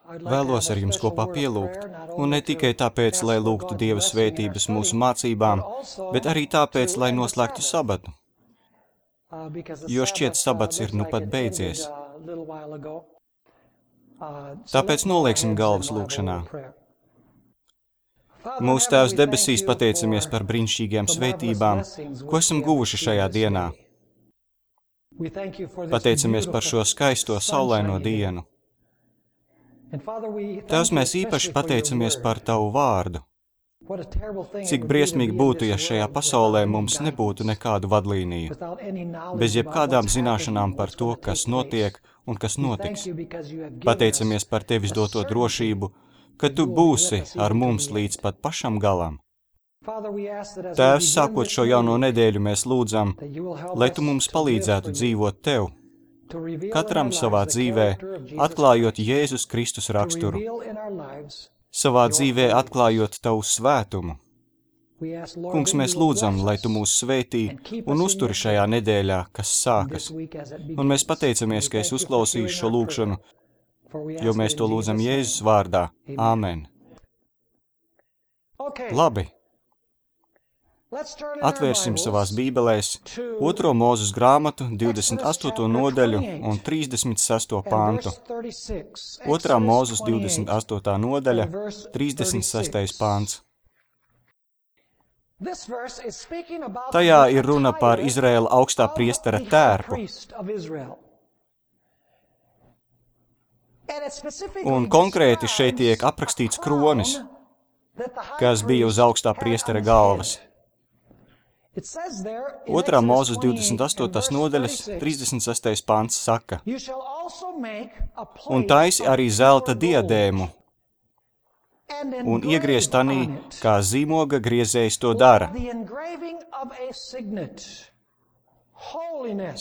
Vēlos ar jums kopā pielūgt, un ne tikai tāpēc, lai lūgtu Dieva svētības mūsu mācībām, bet arī tāpēc, lai noslēgtu sabatu, jo šķiet sabats ir nu pat beidzies. Tāpēc nolieksim galvas lūgšanā. Mūsu Tēvs debesīs, pateicamies par brīnišķīgām svētībām, ko esam guvuši šajā dienā. Pateicamies par šo skaisto saulaino dienu. Tēvs, mēs īpaši pateicamies par Tavu vārdu. Cik briesmīgi būtu, ja šajā pasaulē mums nebūtu nekādu vadlīniju, bez jebkādām zināšanām par to, kas notiek un kas notiks. Pateicamies par Tevis doto drošību, ka Tu būsi ar mums līdz pat pašam galam. Tēvs, sākot šo jauno nedēļu, mēs lūdzam, lai Tu mums palīdzētu dzīvot Tev, katram savā dzīvē, atklājot Jēzus Kristus raksturu, savā dzīvē atklājot Tavu svētumu. Kungs, mēs lūdzam, lai Tu mūs svētī un uzturi šajā nedēļā, kas sākas. Un mēs pateicamies, ka es uzklausīšu šo lūgšanu, jo mēs to lūdzam Jēzus vārdā. Āmen. Labi. Atvērsim savās bībelēs 2. Mūzes grāmatu, 28. nodaļu un 36. pantu. 2. Mūzes 28. nodaļa, 36. pants. Tajā ir runa par Izraēla augstā priestera tērpu. Un konkrēti šeit tiek aprakstīts kronis, kas bija uz augstā priestera galvas. 2. Mūzes 28. nodaļas 36. pants saka: Un taisi arī zelta diadēmu, un iegriez tanī, kā zīmoga griezējs to dara.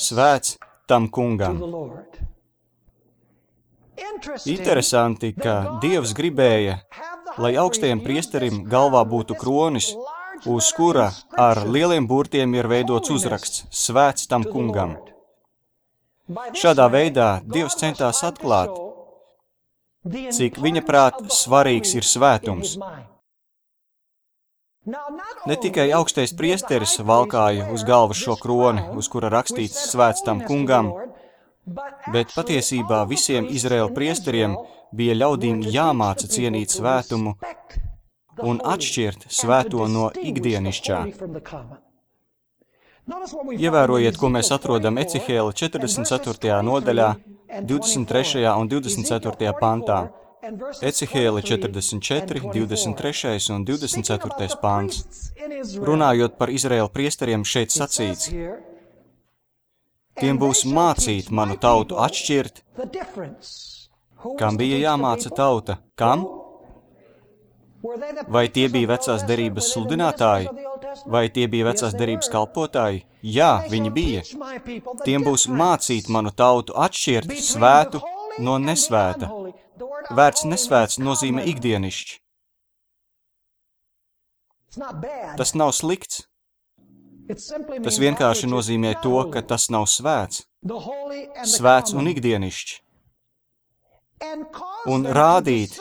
Svēts tam kungam. Interesanti, ka Dievs gribēja, lai augstajam priesterim galvā būtu kronis, uz kura ar lieliem burtiem ir veidots uzraksts Svēts tam kungam. Šādā veidā Dievs centās atklāt, cik viņa prāt svarīgs ir svētums. Ne tikai augstais priesteris valkāja uz galvas šo kroni, uz kura rakstīts Svēts tam kungam, bet patiesībā visiem Izraēla priesteriem bija ļaudīm jāmāca cienīt svētumu un atšķirt svēto no ikdienišķā. Ievērojiet, ko mēs atrodam Ecihēla 44. nodaļā, 23. un 24. pantā. Ecihēla 44, 23. un 24. pants. Runājot par Izraēla priesteriem, šeit sacīts: Tiem būs mācīt manu tautu atšķirt. Kam bija jāmāca tauta? Kam? Vai tie bija vecās derības sludinātāji? Vai tie bija vecās derības kalpotāji? Jā, viņi bija. Tiem būs mācīt manu tautu atšķirt svētu no nesvēta. Vērts nesvēts nozīmē ikdienišķi. Tas nav slikts. Tas vienkārši nozīmē to, ka tas nav svēts. Svēts un ikdienišķi. Un rādīt,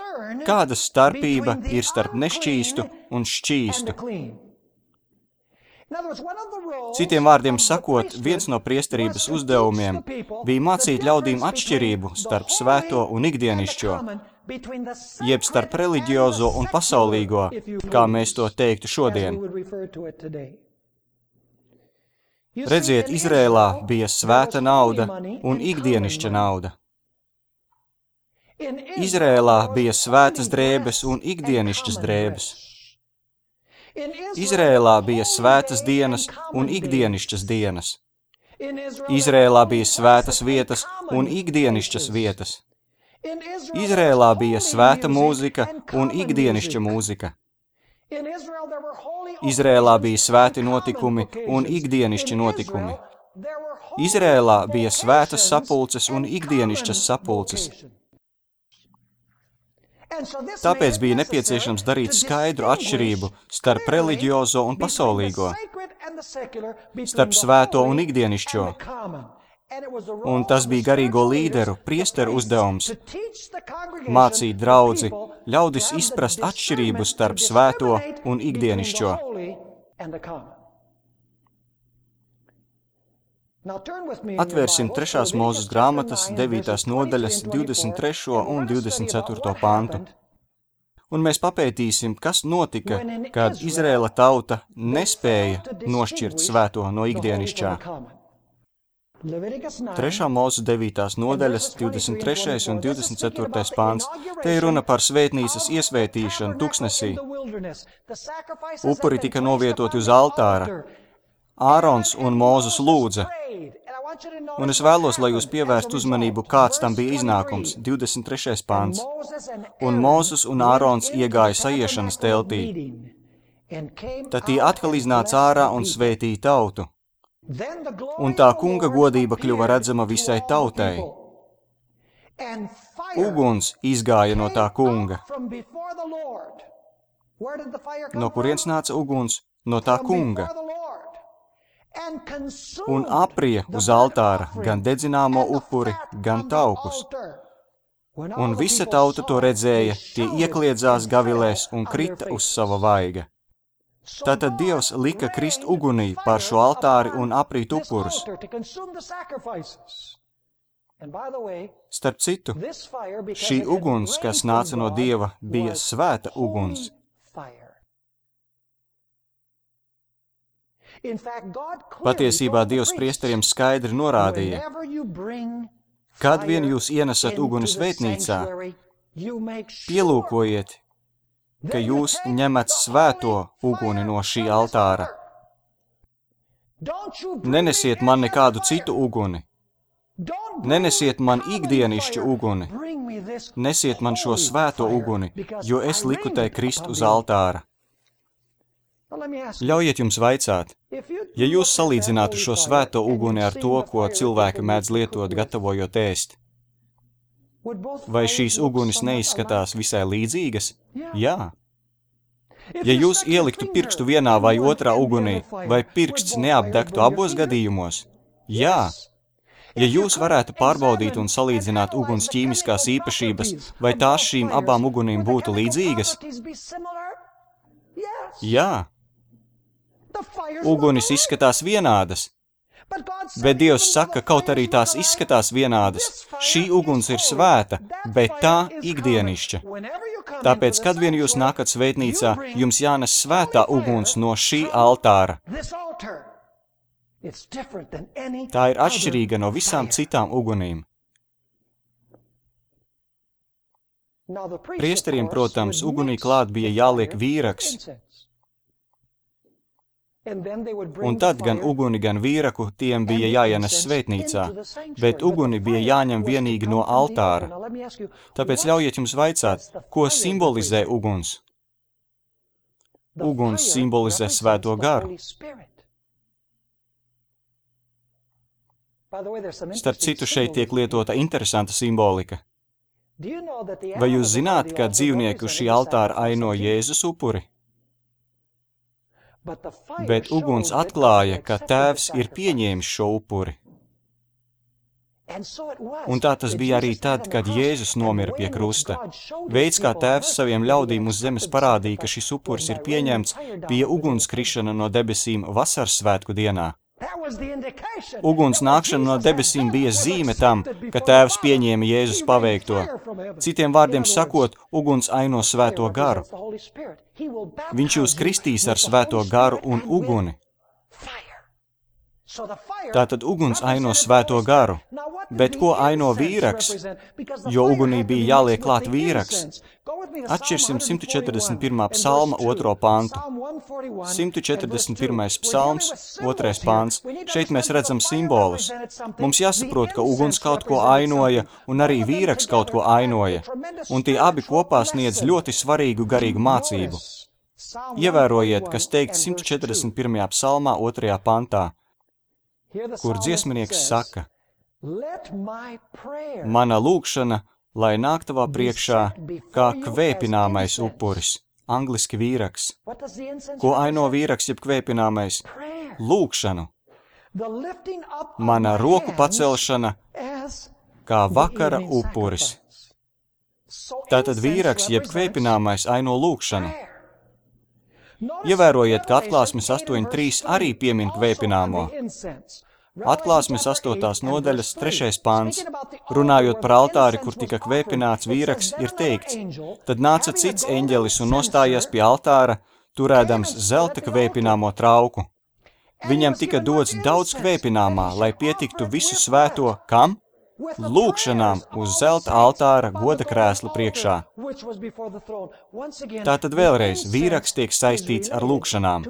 kāda starpība ir starp nešķīstu un šķīstu. Citiem vārdiem sakot, viens no priesterības uzdevumiem bija mācīt ļaudīm atšķirību starp svēto un ikdienišķo, jeb starp reliģiozo un pasaulīgo, kā mēs to teiktu šodien. Redziet, Izrēlā bija svēta nauda un ikdienišķa nauda. Izrēlā bija svētas drēbes un ikdienišķas drēbes. Izrēlā bija svētas dienas un ikdienišķas dienas. Izrēlā bija svētas vietas un ikdienišķas vietas. Izrēlā bija svēta mūzika un ikdienišķa mūzika. Izrēlā bija svēti notikumi un ikdienišķi notikumi. Izrēlā bija svētas sapulces un ikdienišķas sapulces. Tāpēc bija nepieciešams darīt skaidru atšķirību starp reliģiozo un pasaulīgo, starp svēto un ikdienišķo, Un tas bija garīgo līderu, priesteru uzdevums mācīt draudzi, ļaudis izprast atšķirību starp svēto un ikdienišķo. Atvērsim 3. Mūzes grāmatas 9. nodaļas 23. un 24. pantu. Un mēs papētīsim, kas notika, kad Izraēla tauta nespēja nošķirt svēto no ikdienišķā. 3. Mūzes 9. nodaļas 23. un 24. pāns. Te ir runa par svētnīcas iesvētīšanu tuksnesī. Upuri tika novietoti uz altāra. Ārons un Mūzes lūdza. Un es vēlos, lai jūs pievērst uzmanību, kāds tam bija iznākums. 23. pāns. Un Mūzes un Ārons iegāja saiešanas teltī. Tad tie atkal iznāca ārā un svētīja tautu. Un tā kunga godība kļuva redzama visai tautai. Uguns izgāja no tā kunga. No kurienes nāca uguns? No tā kunga. Un aprija uz altāra gan dedzināmo upuri, gan taukus. Un visa tauta to redzēja, tie iekliedzās gavilēs un krita uz sava vaiga. Tātad Dievs lika krist ugunī pār šo altāri un aprīt upurus. Starp citu, šī uguns, kas nāca no Dieva, bija svēta uguns. Patiesībā Dievs priesteriem skaidri norādīja, kad vien jūs ienesat uguni svētnīcā, pielūkojiet, ka jūs ņemat svēto uguni no šī altāra. Nenesiet man nekādu citu uguni. Nenesiet man ikdienišķu uguni. Nesiet man šo svēto uguni, jo es liku tai krist uz altāra. Ļaujiet jums vaicāt, ja jūs salīdzinātu šo svēto uguni ar to, ko cilvēki mēdz lietot, gatavojot ēst, vai šīs ugunis neizskatās visai līdzīgas? Jā. Ja jūs ieliktu pirkstu vienā vai otrā ugunī, vai pirksts neapdegtu abos gadījumos? Jā. Ja jūs varētu pārbaudīt un salīdzināt uguns ķīmiskās īpašības, vai tās šīm abām ugunīm būtu līdzīgas? Jā. Ugunis izskatās vienādas, bet Dievs saka, kaut arī tās izskatās vienādas. Šī uguns ir svēta, bet tā ikdienišķa. Tāpēc, kad vien jūs nākat svētnīcā, jums jānes svētā uguns no šī altāra. Tā ir atšķirīga no visām citām ugunīm. Priesteriem, protams, ugunī klāt bija jāliek vīraks, un tad gan uguni, gan vīraku tiem bija jāienes svētnīcā, bet uguni bija jāņem vienīgi no altāra. Tāpēc ļaujiet jums vaicāt, ko simbolizē uguns? Uguns simbolizē svēto garu. Starp citu, šeit tiek lietota interesanta simbolika. Vai jūs zināt, ka dzīvnieki uz šī altāra aino Jēzus upuri? Bet uguns atklāja, ka Tēvs ir pieņēmis šo upuri. Un tā tas bija arī tad, kad Jēzus nomira pie krusta. Veids, kā Tēvs saviem ļaudīm uz zemes parādīja, ka šis upuris ir pieņemts, bija ugunskrišana no debesīm vasaras svētku dienā. Uguns nākšana no debesīm bija zīme tam, ka Tēvs pieņēma Jēzus paveikto. Citiem vārdiem sakot, uguns aino svēto garu. Viņš jūs kristīs ar svēto garu un uguni. Tātad uguns aino svēto garu. Bet ko aino vīraks? Jo ugunī bija jāliek klāt vīraks. Atšķirsim 141. psalma 2. pantu. 141. psalms, 2. pants. Šeit mēs redzam simbolus. Mums jāsaprot, ka uguns kaut ko ainoja un arī vīraks kaut ko ainoja. Un tie abi kopā sniedz ļoti svarīgu garīgu mācību. Ievērojiet, kas teikts 141. psalmā 2. pantā, kur dziesminieks saka: Mana lūgšana, lai nāk tavā priekšā, kā kvēpināmais upuris, angliski vīraks. Ko aino vīraks jeb kvēpināmais? Lūgšanu. mana roku pacelšana kā vakara upuris. Tātad vīraks jeb kvēpināmais aino lūgšanu. Ievērojiet, ka Atklāsmes 8.3 arī piemin kvēpināmo. Atklāsmes 8. nodaļas 3. pants. Runājot par altāri, kur tika kvēpināts vīraks, ir teikts: Tad nāca cits eņģelis un nostājās pie altāra, turēdams zelta kvēpināmo trauku. Viņam tika dots daudz kvēpināmā, lai pietiktu visu svēto, kam? Lūgšanām uz zelta altāra goda krēsla priekšā. Tātad vēlreiz, vīraks tiek saistīts ar lūgšanām.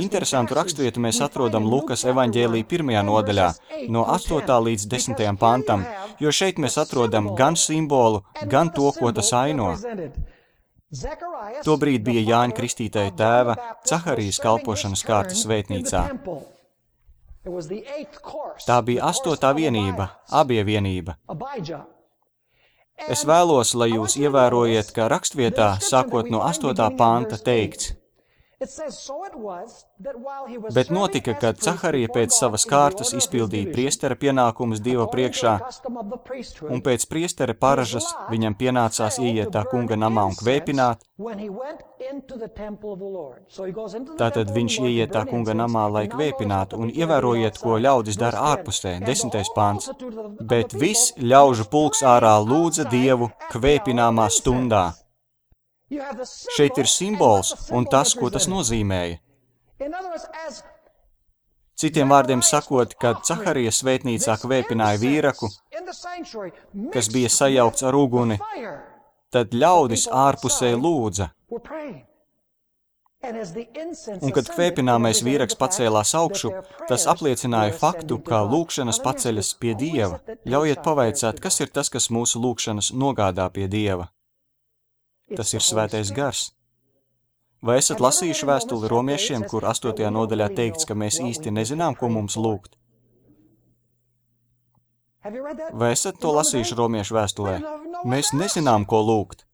Interesantu raksturvietu mēs atrodam Lukas evaņģēlī 1. nodaļā, no 8. līdz 10. pantam, jo šeit mēs atrodam gan simbolu, gan to, ko tas aino. Tobrīd bija Jāņa Kristītāja tēva Caharijas kalpošanas kārta svētnīcā. Tā bija 8. vienība, Abija vienība. Es vēlos, lai jūs ievērojiet, ka rakstvietā, sākot no 8. panta, teikts: Bet notika, kad Caharija pēc savas kārtas izpildīja priestera pienākumus Dieva priekšā, un pēc priestera paražas viņam pienācās ieiet tā kunga namā un kvēpināt. Tātad viņš ieiet tā kunga namā, lai kvēpinātu, un ievērojiet, ko ļaudis dara ārpusē, 10. pants. Bet viss ļaužu pulks ārā lūdza Dievu kvēpināmā stundā. Šeit ir simbols un tas, ko tas nozīmēja. Citiem vārdiem sakot, kad Caharijas svētnīcā kvēpināja vīraku, kas bija sajaukts ar uguni, tad ļaudis ārpusē lūdza. Un kad kvēpināmais vīraks pacēlās augšu, tas apliecināja faktu, ka lūgšanas paceļas pie Dieva. Ļaujiet pavaicāt, kas ir tas, kas mūsu lūgšanas nogādā pie Dieva? Tas ir svētais gars. Vai esat lasījuši vēstuli romiešiem, kur 8. nodaļā teikts, ka mēs īsti nezinām, ko mums lūgt? Vai esat to lasījuši romiešu vēstulē? Mēs nezinām, ko lūgt.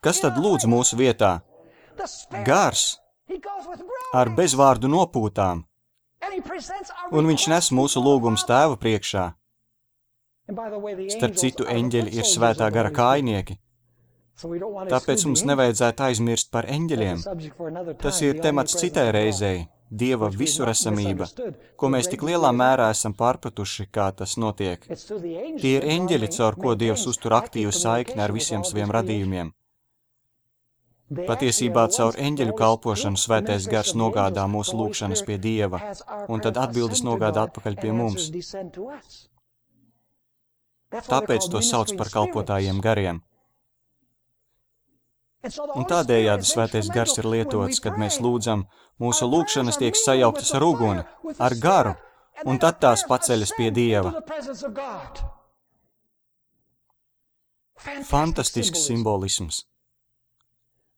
Kas tad lūdz mūsu vietā? Gars ar bezvārdu nopūtām. Un viņš nes mūsu lūgumus Tēva priekšā. Starp citu, eņģeļi ir svētā gara kājnieki. Tāpēc mums nevajadzētu aizmirst par eņģeļiem. Tas ir temats citai reizei, Dieva visuresamība, ko mēs tik lielā mērā esam pārpratuši, kā tas notiek. Tie ir eņģeļi, caur ko Dievs uztur aktīvu saikni ar visiem saviem radījumiem. Patiesībā caur eņģeļu kalpošanu svētais gars nogādā mūsu lūgšanas pie Dieva, un tad atbildes nogādā atpakaļ pie mums. Tāpēc to sauc par kalpotājiem gariem. Un tādējādi svētais gars ir lietots, kad mēs lūdzam, mūsu lūgšanas tiek sajauktas ar uguni, ar garu, un tad tās paceļas pie Dieva. Fantastisks simbolisms.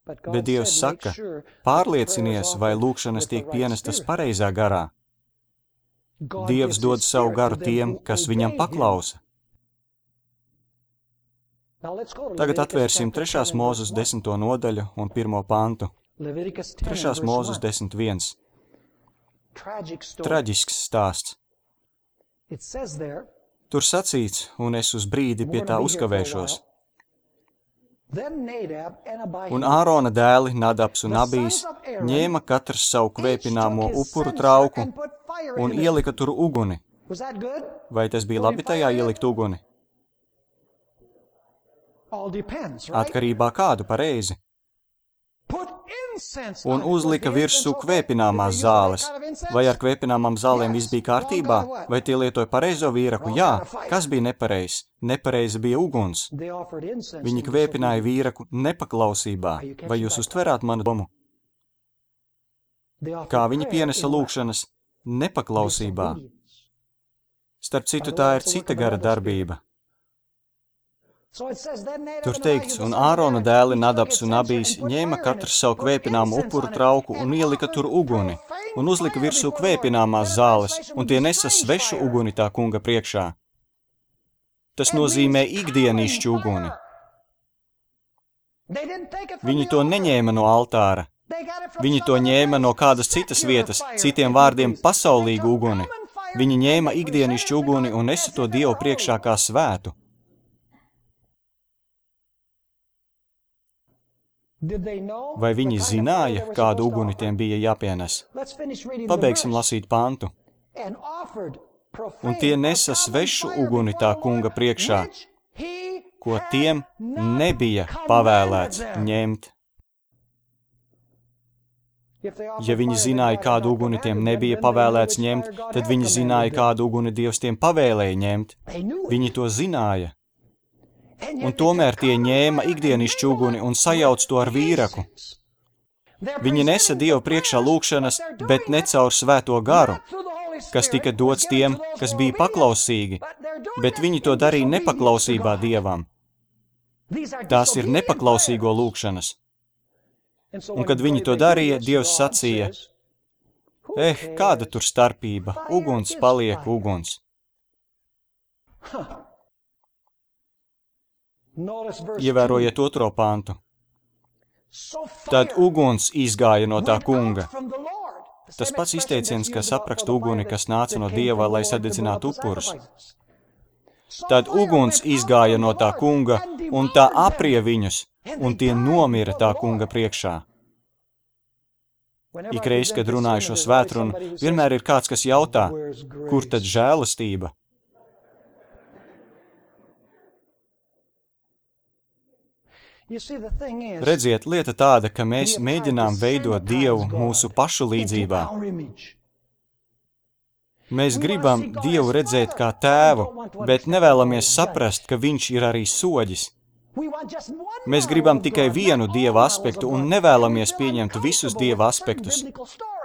Bet Dievs saka, pārliecinies, vai lūgšanas tiek pienestas pareizā garā. Dievs dod savu garu tiem, kas viņam paklausa. Tagad atvērsim 3. mūzes 10. nodaļu un 1. pantu. 3. mūzes 10.1. Traģisks stāsts. Tur sacīts, un es uz brīdi pie tā uzkavēšos. Un Ārona dēli, Nadabs un Abijs, ņēma katrs savu kvēpināmo upuru trauku un ielika tur uguni. Vai tas bija labi tajā ielikt uguni? Atkarībā kādu pareizi. Un uzlika virsū kvēpināmās zāles. Vai ar kvēpināmām zālēm viss bija kārtībā? Vai tie lietoja pareizo vīraku? Jā. Kas bija nepareizs? Nepareizi bija uguns. Viņi kvēpināja vīraku nepaklausībā. Vai jūs uztverāt manu domu? Kā viņi pienesa lūgšanas nepaklausībā? Starp citu, tā ir cita gara darbība. Tur teikts, un Ārona dēli, Nadabs un Abijs, ņēma katrs savu kvēpināmu upuru trauku un ielika tur uguni, un uzlika virsū kvēpināmās zāles, un tie nesa svešu uguni tā kunga priekšā. Tas nozīmē ikdienišķu uguni. Viņi to neņēma no altāra. Viņi to ņēma no kādas citas vietas, citiem vārdiem pasaulīgu uguni. Viņi ņēma ikdienišķu uguni un nesa to Dievu priekšā kā svētu. Vai viņi zināja, kādu uguni tiem bija jāpienes? Pabeigsim lasīt pantu. Un tie nesa svešu uguni tā kunga priekšā, ko tiem nebija pavēlēts ņemt. Ja viņi zināja, kādu uguni tiem nebija pavēlēts ņemt, tad viņi zināja, kādu uguni Dievs tiem pavēlēja ņemt. Viņi to zināja. Un tomēr tie ņēma ikdienišķu uguni un sajauc to ar vīraku. Viņi nesa Dievu priekšā lūgšanas, bet ne caur svēto garu, kas tika dots tiem, kas bija paklausīgi, bet viņi to darīja nepaklausībā Dievam. Tās ir nepaklausīgo lūgšanas. Un kad viņi to darīja, Dievs sacīja, kāda tur starpība, uguns paliek uguns. Ievērojiet 2. pantu. Tad uguns izgāja no tā kunga. Tas pats izteiciens, kas apraksta uguni, kas nāca no Dieva, lai sadedzinātu upurus. Tad uguns izgāja no tā kunga, un tā aprie viņus, un tie nomira tā kunga priekšā. Ikreiz, kad runāju šo svētrunu, vienmēr ir kāds, kas jautā, kur tad žēlastība? Redziet, lieta tāda, ka mēs mēģinām veidot Dievu mūsu pašu līdzībā. Mēs gribam Dievu redzēt kā tēvu, bet nevēlamies saprast, ka viņš ir arī soģis. Mēs gribam tikai vienu Dieva aspektu un nevēlamies pieņemt visus Dieva aspektus.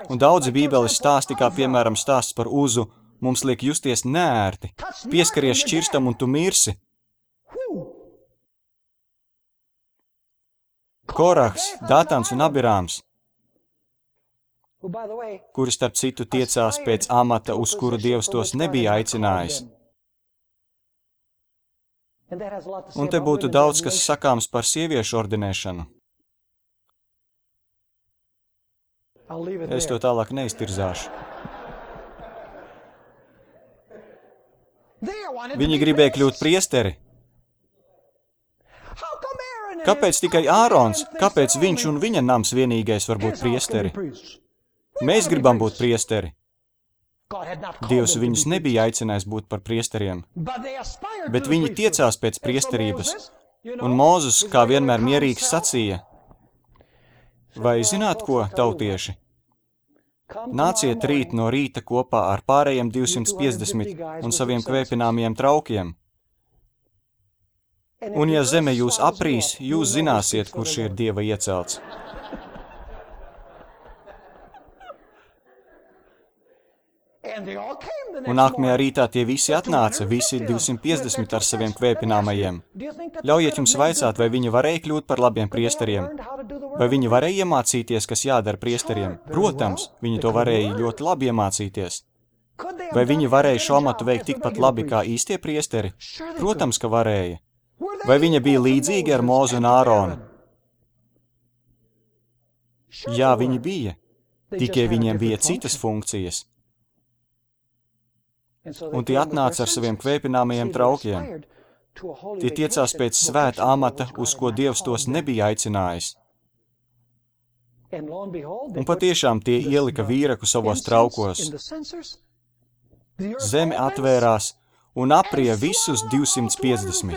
Un daudzi Bībeles stāsti, kā piemēram stāsts par Uzu, mums liek justies neērti. Pieskaries šķirstam un tu mirsi. Korahs, Datans un Abirāms, kuri starp citu tiecās pēc amata, uz kuru Dievs tos nebija aicinājis. Un te būtu daudz, kas sakāms par sieviešu ordinēšanu. Es to tālāk neiztirzāšu. Viņi gribēja kļūt priesteri. Kāpēc tikai Ārons? Kāpēc viņš un viņa nams vienīgais var būt priesteri? Mēs gribam būt priesteri. Dievs viņus nebija aicinājis būt par priesteriem, bet viņi tiecās pēc priesterības, un Mūzes, kā vienmēr mierīgs, sacīja, vai zināt ko, tautieši? Nāciet rīt no rīta kopā ar pārējiem 250 un saviem kvēpināmiem traukiem. Un ja zeme jūs aprīs, jūs zināsiet, kurš ir Dieva iecelts. Un nākamajā rītā tie visi atnāca, visi 250 ar saviem kvēpināmajiem. Ļaujiet jums vaicāt, vai viņi varēja kļūt par labiem priesteriem? Vai viņi varēja iemācīties, kas jādara priesteriem? Protams, viņi to varēja ļoti labi iemācīties. Vai viņi varēja šo amatu veikt tikpat labi kā īstie priesteri? Protams, ka varēja. Vai viņa bija līdzīga ar Mūzu un Āronu? Jā, viņi bija. Tikai viņiem bija citas funkcijas. Un tie atnāca ar saviem kvēpināmajiem traukiem. Tie tiecās pēc svēta amata, uz ko Dievs tos nebija aicinājis. Un patiešām tie ielika vīraku savos traukos. Zeme atvērās un aprie visus 250.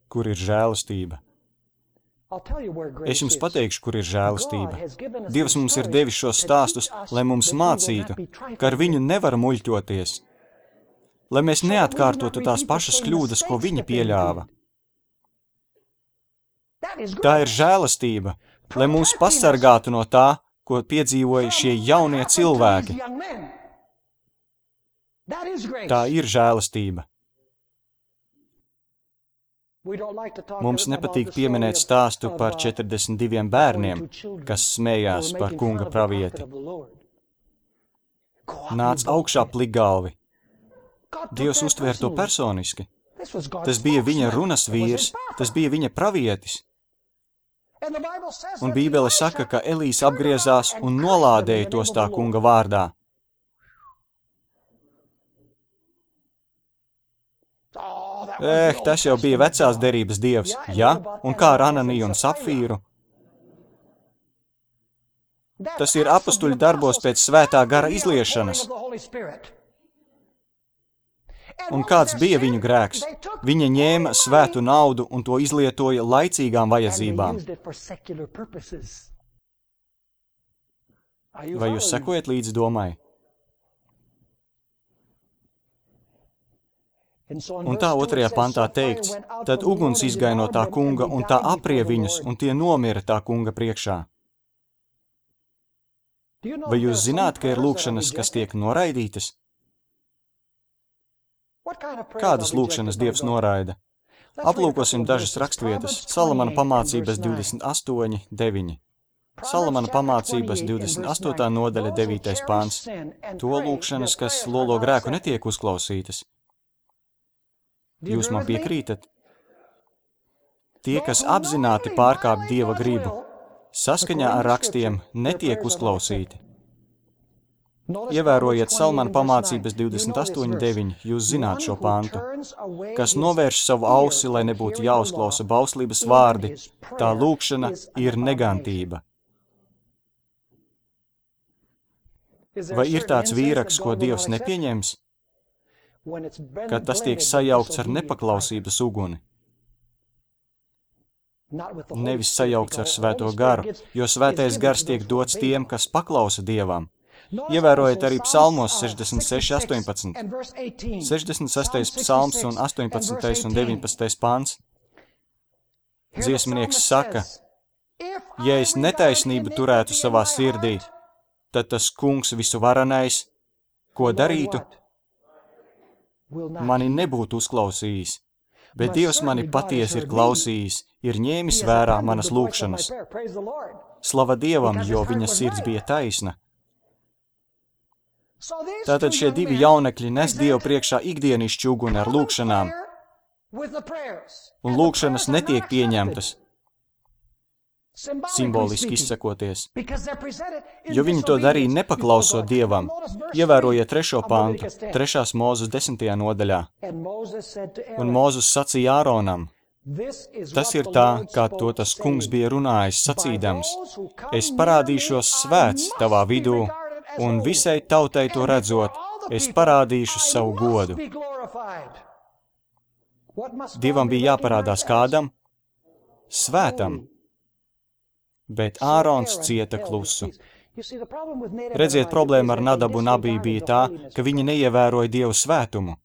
Kur ir žēlastība? Es jums pateikšu, kur ir žēlastība. Dievs mums ir devis šos stāstus, lai mums mācītu, ka ar viņu nevar muļķoties, lai mēs neatkārtotu tās pašas kļūdas, ko viņi pieļāva. Tā ir žēlastība, lai mūs pasargātu no tā, ko piedzīvoja šie jaunie cilvēki. Tā ir žēlastība. Mums nepatīk pieminēt stāstu par 42 bērniem, kas smējās par kunga pravieti. Nāc augšā plikgalvi. Dievs uztvēr to personiski. Tas bija viņa runas vīrs, tas bija viņa pravietis. Un Bībele saka, ka Elijas apgriezās un nolādēja tos tā kunga vārdā. Tas jau bija vecās derības dievs, ja? Un kā ar Ananiju un Sapfīru? Tas ir apustuļu darbos pēc svētā gara izliešanas. Un kāds bija viņu grēks? Viņa ņēma svētu naudu un to izlietoja laicīgām vajadzībām. Vai jūs sekojat līdz domai? Un tā 2. pantā teikts, tad uguns izgāja no tā kunga un tā aprie viņus, un tie nomira tā kunga priekšā. Vai jūs zināt, ka ir lūkšanas, kas tiek noraidītas? Kādas lūkšanas Dievs noraida? Aplūkosim dažas rakstvietas. Salamana pamācības 28:9. Salamana pamācības 28. nodaļa 9. pāns. To lūkšanas, kas lolo grēku, netiek uzklausītas. Jūs man piekrītat? Tie, kas apzināti pārkāp Dieva gribu, saskaņā ar rakstiem netiek uzklausīti. Ievērojiet Salamana pamācības 28:9, jūs zināt šo pantu. Kas novērš savu ausi, lai nebūtu jāuzklausa bauslības vārdi, tā lūkšana ir negantība. Vai ir tāds vīraks, ko Dievs nepieņems? Kad tas tiek sajaukts ar nepaklausības uguni. Nevis sajaukts ar svēto garu, jo svētais gars tiek dots tiem, kas paklausa Dievam. Ievērojiet arī psalmos 66:18. 66. psalms un 18. un 19. pāns. Dziesminieks saka, ja es netaisnību turētu savā sirdī, tad tas kungs visuvarenais, ko darītu? Mani nebūtu uzklausījis, bet Dievs mani patiesi ir klausījis, ir ņēmis vērā manas lūkšanas. Slava Dievam, jo viņa sirds bija taisna. Tātad šie divi jaunekļi nes Dievu priekšā ikdienišķu uguni ar lūkšanām, un lūkšanas netiek pieņemtas, simboliski izsakoties, jo viņi to darīja nepaklausot Dievam. Ievērojiet 3. pantu, 3. Mūzes 10. nodaļā. Un Mūzes sacīja Āronam, tas ir tā, kā to tas kungs bija runājis, sacīdams, es parādīšos svēts tavā vidū, un visai tautai to redzot, es parādīšu savu godu. Dievam bija jāparādās kādam? Svētam. Bet Ārons cieta klusu. Redziet, problēma ar Nadabu un Abiju bija tā, ka viņi neievēroja Dievu svētumu.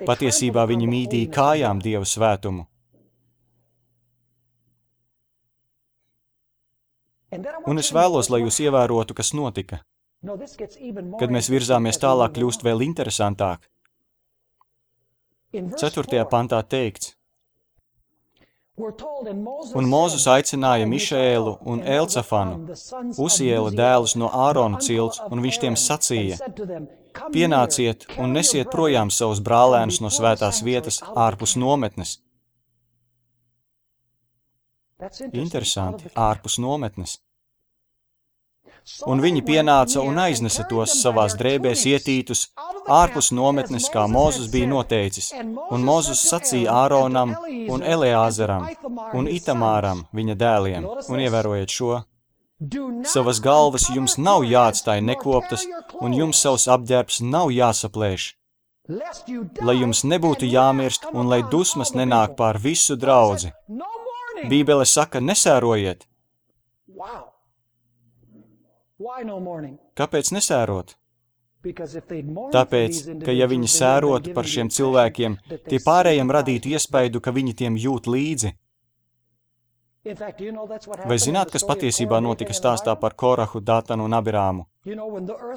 Patiesībā viņi mīdīja kājām Dievu svētumu. Un es vēlos, lai jūs ievērotu, kas notika. Kad mēs virzāmies tālāk, kļūst vēl interesantāk. 4. pantā teikts, un Mūzes aicināja Mišēlu un Elcafanu, Uziela dēlus no Ārona cilts, un viņš tiem sacīja, pienāciet un nesiet projām savus brālēnus no svētās vietas ārpus nometnes. Interesanti, ārpus nometnes. Un viņi pienāca un aiznesa tos savās drēbēs ietītus ārpus nometnes, kā Mūzes bija noteicis. Un Mūzes sacīja Āronam un Eleāzaram un Itamāram, viņa dēliem, un ievērojiet šo. Savas galvas jums nav jāatstāj nekoptas, un jums savs apģērbs nav jāsaplēš, lai jums nebūtu jāmirst un lai dusmas nenāk pār visu draudzi. Bībele saka, nesērojiet. Kāpēc nesērot? Tāpēc, ka ja viņi sērotu par šiem cilvēkiem, tie pārējiem radītu iespaidu, ka viņi tiem jūt līdzi. Vai zināt, kas patiesībā notika stāstā par Korahu, Datanu un Abirāmu?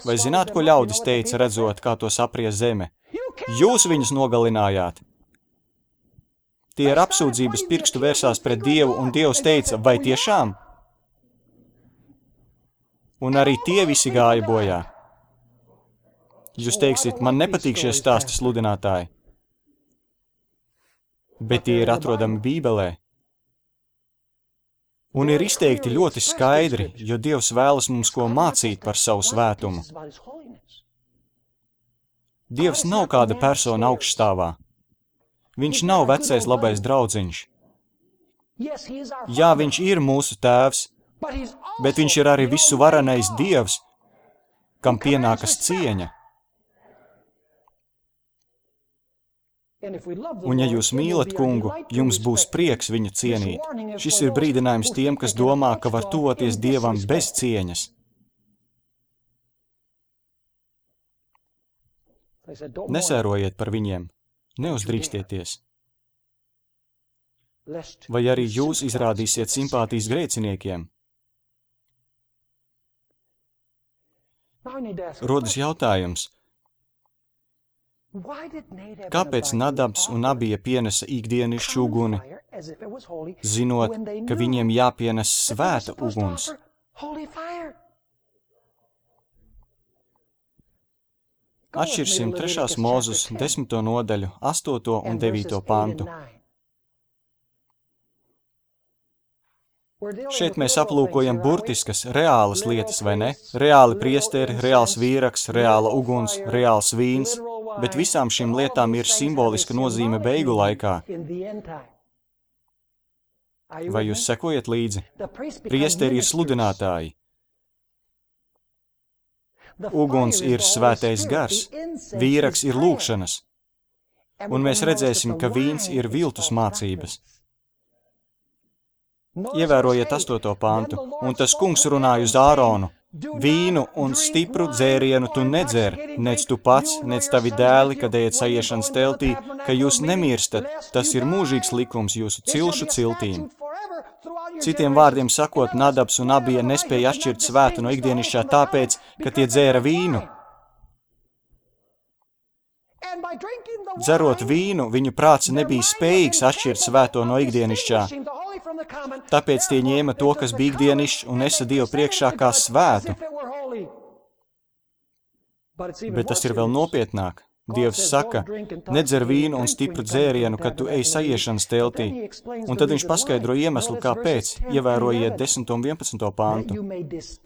Vai zināt, ko ļaudis teica, redzot, kā to saprie zeme? Jūs viņus nogalinājāt! Tie ar apsūdzības pirkstu vērsās pret Dievu, un Dievs teica, vai tiešām? Un arī tie visi gāja bojā. Jūs teiksiet, man nepatīk šie stāsti sludinātāji. bet tie ir atrodami Bībelē. Un ir izteikti ļoti skaidri, jo Dievs vēlas mums ko mācīt par savu svētumu. Dievs nav kāda persona augšstāvā. Viņš nav vecais labais draudziņš. Jā, viņš ir mūsu tēvs, bet viņš ir arī visu varenais Dievs, kam pienākas cieņa. Un ja jūs mīlat kungu, jums būs prieks viņu cienīt. Šis ir brīdinājums tiem, kas domā, ka var tuvoties Dievam bez cieņas. Nesērojiet par viņiem, neuzdrīkstieties. Vai arī jūs izrādīsiet simpātijas grēciniekiem? Rodas jautājums, kāpēc Nadabs un Abija pienesa ikdienišķu uguni, zinot, ka viņiem jāpienes svēta uguns? Atšķirsim 3. Mūzus 10. nodaļu, 8. un 9. pantu. Šeit mēs aplūkojam burtiskas, reālas lietas, vai ne? Reāli priesteri, reāls vīraks, reāla uguns, reāls vīns, bet visām šīm lietām ir simboliska nozīme beigu laikā. Vai jūs sekojat līdzi? Priesteri ir sludinātāji. Uguns ir svētais gars, vīraks ir lūgšanas, un mēs redzēsim, ka vīns ir viltus mācības. Ievērojiet 8. pantu, un tas kungs runāja uz Āronu. Vīnu un stipru dzērienu tu nedzer, nec tu pats, nec tavi dēli, kad ejat saiešanas teltī, ka jūs nemirstat, tas ir mūžīgs likums jūsu cilšu ciltīm. Citiem vārdiem sakot, Nadabs un Abija nespēja atšķirt svētu no ikdienišķā tāpēc, ka tie dzēra vīnu. Dzerot vīnu, viņu prāts nebija spējīgs atšķirt svēto no ikdienišķā. Tāpēc tie ņēma to, kas bija ikdienišķs, un nesa Dievu priekšā kā svētu. Bet tas ir vēl nopietnāk. Dievs saka, nedzer vīnu un stipru dzērienu, kad tu ej saiešanas teltī. Un tad viņš paskaidro iemeslu, kāpēc, ievērojiet 10. un 11. pantu.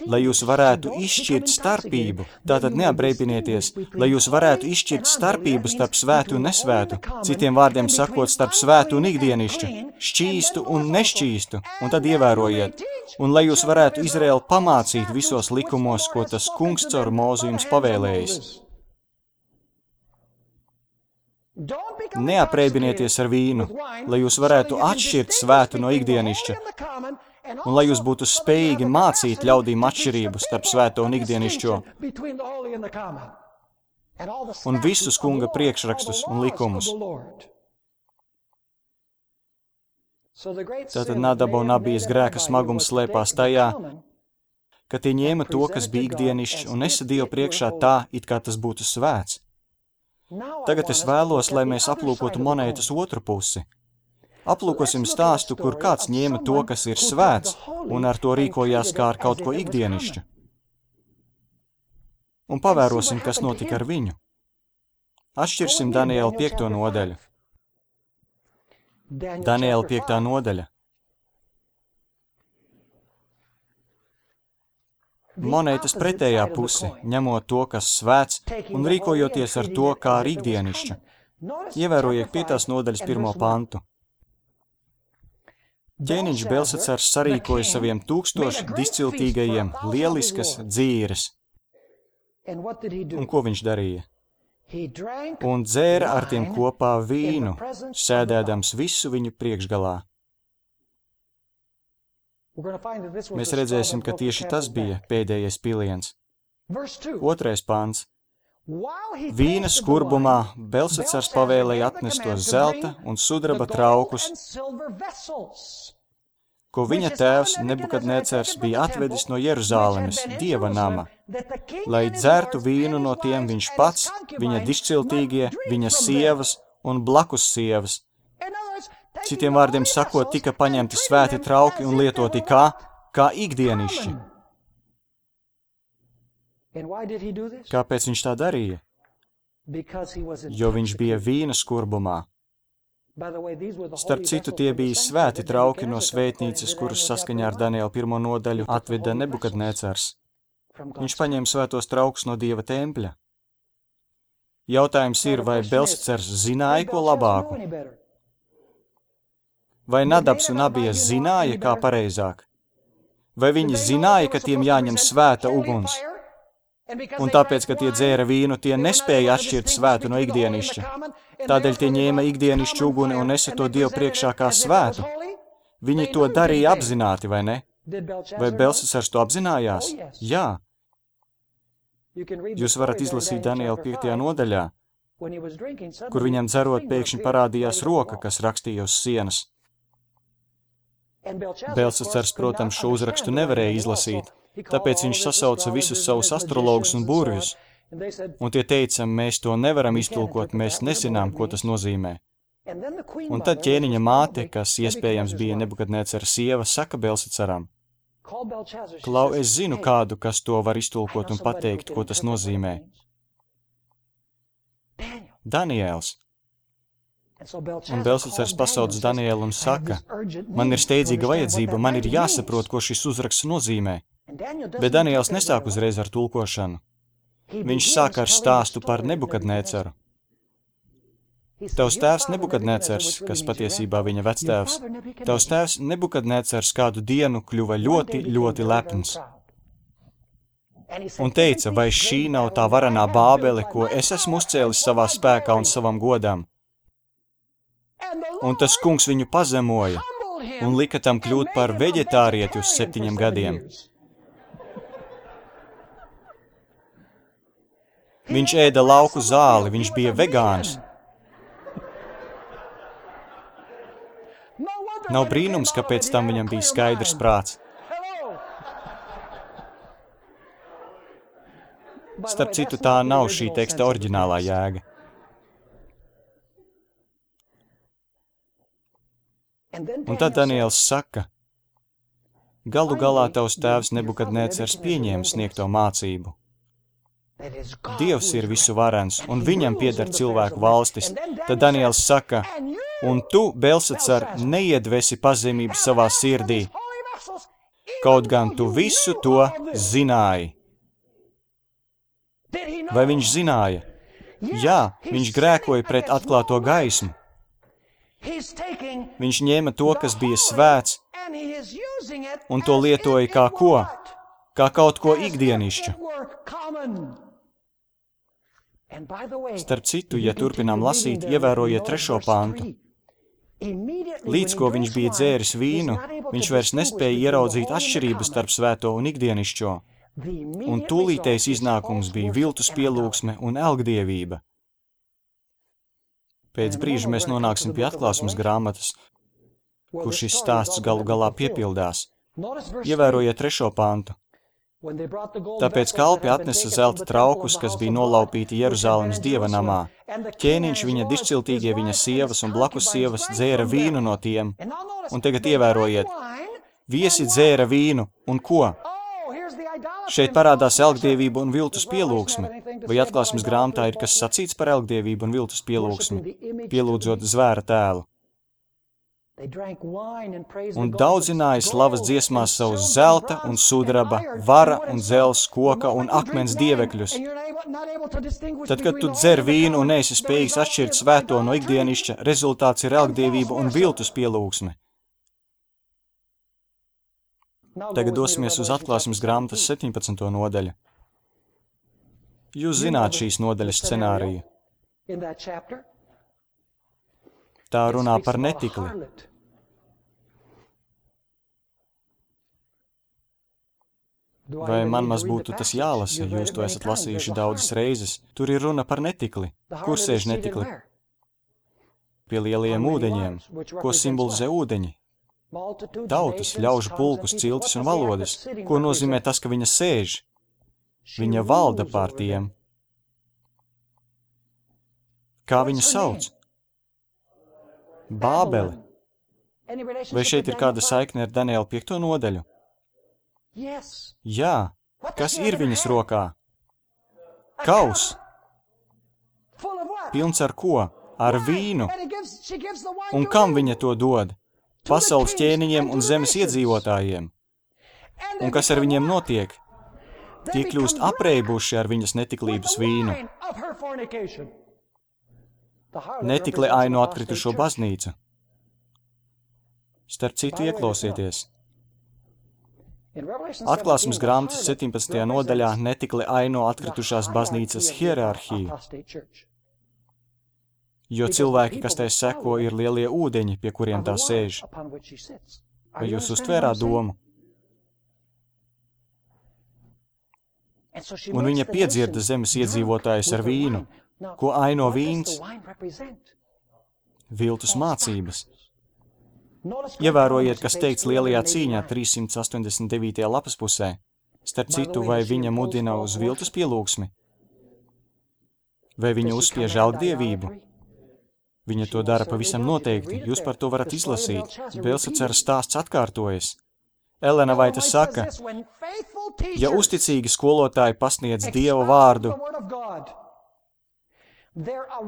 Lai jūs varētu izšķirt starpību, tātad neapreipinieties, lai jūs varētu izšķirt starpību starp svētu un nesvētu, citiem vārdiem sakot starp svētu un ikdienišķu, šķīstu un nešķīstu, un tad ievērojiet. Un lai jūs varētu Izraēlu pamācīt visos likumos, ko tas kungs caur Mūzu jums pavēlējis. Neapreibieties ar vīnu, lai jūs varētu atšķirt svētu no ikdienišķa, un lai jūs būtu spējīgi mācīt ļaudīm atšķirību starp svēto un ikdienišķo, un visus kunga priekšrakstus un likumus. Tātad Nadaba un Abijas grēka smagums slēpās tajā, ka tie ņēma to, kas bija ikdienišķs, un nesa Dievu priekšā tā, it kā tas būtu svēts. Tagad es vēlos, lai mēs aplūkotu monētas otru pusi. Aplūkosim stāstu, kur kāds ņēma to, kas ir svēts, un ar to rīkojās kā ar kaut ko ikdienišķu. Un pavērosim, kas notika ar viņu. Atšķirsim Daniela 5. nodaļu. Daniela 5. nodaļa. Monētas pretējā puse, ņemot to, kas svēts, un rīkojoties ar to, kā ar ikdienišķu. Ievērojiet 5. nodaļas 1. pantu. Ķēniņš Belsacars sarīkoja saviem 1000 disciltīgajiem lieliskas dzīres. Un ko viņš darīja? Un dzēra ar tiem kopā vīnu, sēdēdams visu viņu priekšgalā. Mēs redzēsim, ka tieši tas bija pēdējais piliens. 2. pants. Vīna skurbumā Belsacars pavēlēja atnest tos zelta un sudraba traukus, ko viņa tēvs Nebukadnecars bija atvedis no Jeruzālemes, Dieva nama, lai dzertu vīnu no tiem viņš pats, viņa dišciltīgie, viņa sievas un blakus sievas. Citiem vārdiem sakot, tika paņemti svēti trauki un lietoti kā ikdienišķi. Kāpēc viņš tā darīja? Jo viņš bija vīna skurbumā. Starp citu, tie bija svēti trauki no svētnīcas, kurus saskaņā ar Daniela 1. nodaļu atveda Nebukadnēcars. Viņš paņēma svētos traukus no Dieva tempļa. Jautājums ir, vai Belsacars zināja ko labāku? Vai Nadabs un Abijas zināja, kā pareizāk? Vai viņi zināja, ka tiem jāņem svēta uguns? Un tāpēc, ka tie dzēra vīnu, tie nespēja atšķirt svētu no ikdienišķa. Tādēļ tie ņēma ikdienišķu uguni un nesa to Dievu priekšā kā svētu. Viņi to darīja apzināti, vai ne? Vai Belsacars to apzinājās? Jā. Jūs varat izlasīt Daniela 5. nodaļā, kur viņam dzerot pēkšņi parādījās roka, kas rakstīja uz sienas. Belsacars, protams, šo uzrakstu nevarēja izlasīt, tāpēc viņš sasauca visus savus astrologus un burvjus, un tie teica, mēs to nevaram iztulkot, mēs nezinām, ko tas nozīmē. Un tad ķēniņa māte, kas iespējams bija Nebukadnēcara sieva, saka Belsacaram, Klau, es zinu kādu, kas to var iztulkot un pateikt, ko tas nozīmē. Daniēls. Un Belsacars pasauc Danielu un saka, man ir steidzīga vajadzība, man ir jāsaprot, ko šis uzraksts nozīmē. Bet Daniels nesāk uzreiz ar tulkošanu. Viņš sāk ar stāstu par Nebukadnēcaru. Tavs tēvs Nebukadnēcars, kas patiesībā viņa vectēvs, tavs tēvs Nebukadnēcars kādu dienu kļuva ļoti, ļoti lepns. Un teica, vai šī nav tā varenā Bābele, ko es esmu uzcēlis savā spēkā un savam godam? Un tas kungs viņu pazemoja un lika tam kļūt par veģetārieti uz 7 gadiem. Viņš ēda lauku zāli, viņš bija vegāns. Nav brīnums, ka pēc tam viņam bija skaidrs prāts. Starp citu, tā nav šī teksta oriģinālā jēga. Un tad Daniels saka, galu galā tavs tēvs Nebukadnēcars pieņēma sniegto mācību. Dievs ir visu varens, un viņam pieder cilvēku valstis. Tad Daniels saka, un tu, Belsacar, neiedvesi pazemību savā sirdī, kaut gan tu visu to zināji. Vai viņš zināja? Jā, viņš grēkoja pret atklāto gaismu. Viņš ņēma to, kas bija svēts, un to lietoja kā ko? Kā kaut ko ikdienišķu. Starp citu, ja turpinām lasīt, ievērojiet 3. pantu. Līdz ko viņš bija dzēris vīnu, viņš vairs nespēja ieraudzīt atšķirības starp svēto un ikdienišķo. Un tūlītējs iznākums bija viltus pielūgsme un elgdievība. Pēc brīža mēs nonāksim pie atklāsmes grāmatas, kur šis stāsts galu galā piepildās. Ievērojiet 3. pantu. Tāpēc kalpi atnesa zelta traukus, kas bija nolaupīti Jeruzālemes dieva namā. Ķēniņš, viņa dišciltīgie, viņa sievas un blakus sievas dzēra vīnu no tiem. Un tagad ievērojiet, viesi dzēra vīnu, un ko? Šeit parādās elgdievība un viltus pielūgsme. Vai atklāsmes grāmatā ir kas sacīts par elgdievību un viltus pielūgsmi, pielūdzot zvēra tēlu? Un daudzināja slavas dziesmās savus zelta un sudraba, vara un dzels, koka un akmens dievekļus. Tad, kad tu dzer vīnu un neesi spējīgs atšķirt svēto no ikdienišķa, rezultāts ir elgdievība un viltus pielūgsme. Tagad dosimies uz atklāsmes grāmatas 17. nodaļu. Jūs zināt šīs nodaļas scenāriju. Tā runā par netikli. Vai man maz būtu tas jālasa, jūs to esat lasījuši daudzas reizes? Tur ir runa par netikli. Kur sēž netikli? Pie lielajiem ūdeņiem. Ko simbolizē ūdeņi? Tautas, ļaužu pulkus, ciltis un valodas. Ko nozīmē tas, ka viņa sēž? Viņa valda pār tiem. Kā viņu sauc? Bābele. Vai šeit ir kāda saikne ar Daniela 5. nodaļu? Jā. Kas ir viņas rokā? Kaus. Pilns ar ko? ar vīnu. Un kam viņa to dod? Pasaules ķēniņiem un zemes iedzīvotājiem. Un kas ar viņiem notiek? Tie kļūst apreibuši ar viņas netiklības vīnu. Netikli ainu atkritušo baznīcu. Starp citu ieklausieties. Atklāsmes grāmatas 17. nodaļā netikli aino atkritušās baznīcas hierarhiju, jo cilvēki, kas tai seko, ir lielie ūdeņi, pie kuriem tā sēž. Vai jūs uztvērāt domu? Un viņa piedzirda zemes iedzīvotājus ar vīnu. Ko aino vīns? Viltus mācības. Ievērojiet, kas teikts lielajā cīņā 389. lapas pusē. Starp citu, vai viņa mudina uz viltus pielūgsmi? Vai viņa uzspiež algdievību? Viņa to dara pavisam noteikti. Jūs par to varat izlasīt. Belsacera stāsts atkārtojas. Elena Vaita saka, ja uzticīgi skolotāji pasniedz Dieva vārdu,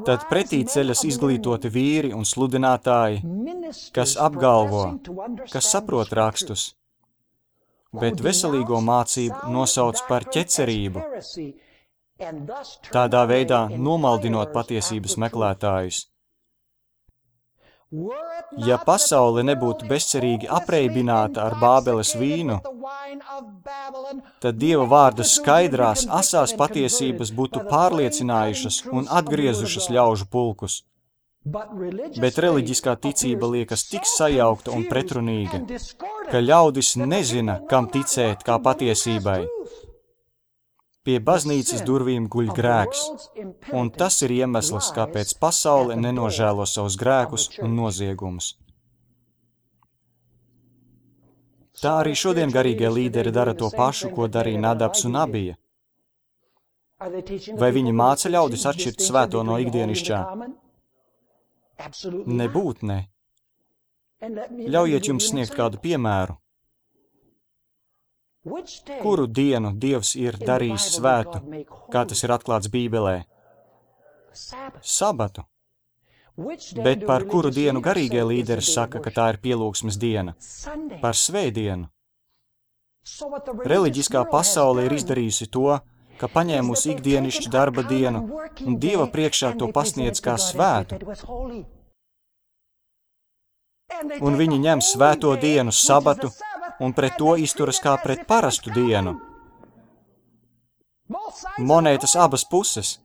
tad pretī ceļas izglītoti vīri un sludinātāji, kas apgalvo, kas saprot rakstus, bet veselīgo mācību nosauc par ķecerību, tādā veidā nomaldinot patiesības meklētājus. Ja pasaule nebūtu bezcerīgi apreibināta ar Bābeles vīnu, tad Dieva vārda skaidrās, asās patiesības būtu pārliecinājušas un atgriezušas ļaužu pulkus. Bet reliģiskā ticība liekas tik sajaukta un pretrunīga, ka ļaudis nezina, kam ticēt kā patiesībai. Pie baznīcas durvīm guļ grēks, un tas ir iemesls, kāpēc pasaule nenožēlo savus grēkus un noziegumus. Tā arī šodien garīgie līderi dara to pašu, ko darīja Nadabs un Abija. Vai viņi māca ļaudis atšķirt svēto no ikdienišķā? Nebūt ne. Ļaujiet jums sniegt kādu piemēru. Kuru dienu Dievs ir darījis svētu, kā tas ir atklāts Bībelē? Sabatu. Bet par kuru dienu garīgie līderi saka, ka tā ir pielūgsmes diena? Par svētdienu. Reliģiskā pasaule ir izdarījusi to, ka paņēmusi ikdienišķu darba dienu un Dieva priekšā to pasniedz kā svētu. Un viņi ņem svēto dienu, sabatu, un pret to izturas kā pret parastu dienu. Monētas abas puses.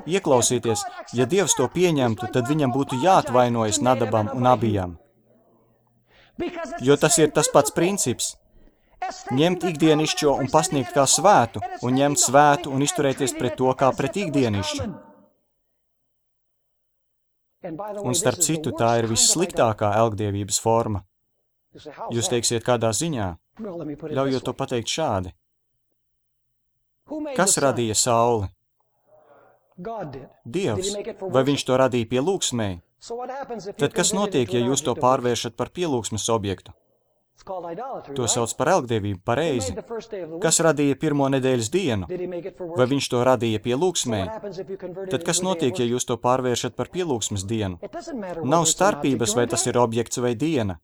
Ieklausieties, ja Dievs to pieņemtu, tad viņam būtu jāatvainojas Nadabam un Abijam. Jo tas ir tas pats princips. Ņemt ikdienišķo un pasniegt kā svētu, un ņemt svētu un izturēties pret to kā pret ikdienišķu. Un starp citu, tā ir vissliktākā elgdievības forma. Jūs teiksiet, kādā ziņā? Ļaujot to pateikt šādi. Kas radīja sauli? Dievs. Vai viņš to radīja pielūgsmei? Tad kas notiek, ja jūs to pārvēršat par pielūgsmes objektu? To sauc par elgdievību, pareizi. Kas radīja pirmo nedēļas dienu? Vai viņš to radīja pielūgsmei? Tad kas notiek, ja jūs to pārvēršat par pielūgsmes dienu? Nav starpības, vai tas ir objekts vai diena.